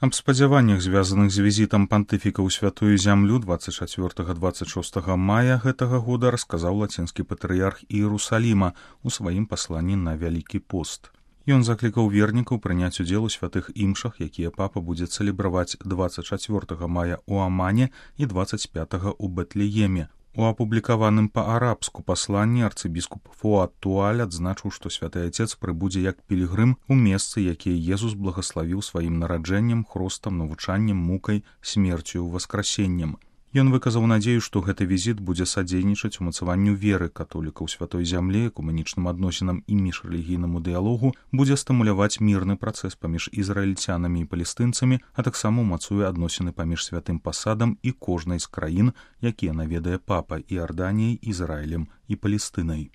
Аб спадзяваннях, звязаных з візітам пантыфіка ў святую зямлю 24-26 мая гэтага года, расказаў лацінскі патрыярх Іерусаліма ў сваім пасланні на Вялікі пост. Ён заклікаў вернікаў прыняць удзел у святых імшах, якія папа будзе цэлебраваць 24 мая ў Амане і 25 у Бэтлееме. У апублікаваным па-арабску пасланні арцыбіскуп Фуад Туаль адзначыў, што святы Айцец прыбудзе як пілігрым у месцы, якія Езус благаславіў сваім нараджэннем, хростам, навучаннем, мукай, смерцю, васкрасеннем. Ён выказаў надзею, што гэты візіт будзе садзейнічаць умацаванню веры католікаў святой зямлі, экумэнічным адносінам і міжрэлігійнаму дыялогу, будзе стымуляваць мірны працэс паміж ізраільцянамі і палестынцамі, а таксама умацуе адносіны паміж святым пасадам і кожнай з краін, якія наведае папа, Іарданіяй, Ізраілем і Палестынай.